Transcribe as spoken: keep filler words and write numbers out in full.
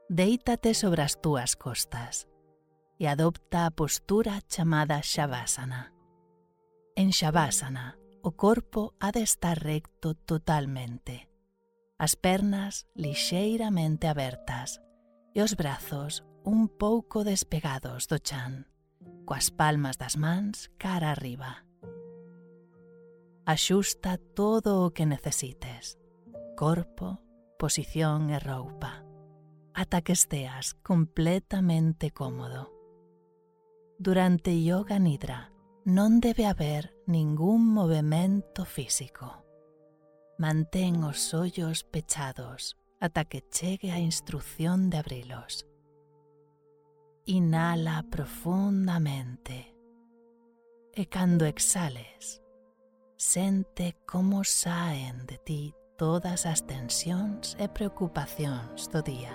Déitate sobre as túas costas e adopta a postura chamada Shavasana. En Shavasana, o corpo ha de estar recto totalmente, as pernas lixeiramente abertas e os brazos un pouco despegados do chan, coas palmas das mans cara arriba. Axusta todo o que necesites, corpo, posición e roupa, ata que esteas completamente cómodo. Durante Yoga Nidra non debe haber ningún movemento físico. Mantén os ollos pechados ata que chegue a instrucción de abrilos. Inhala profundamente e cando exhales, sente como saen de ti todas as tensións e preocupacións do día.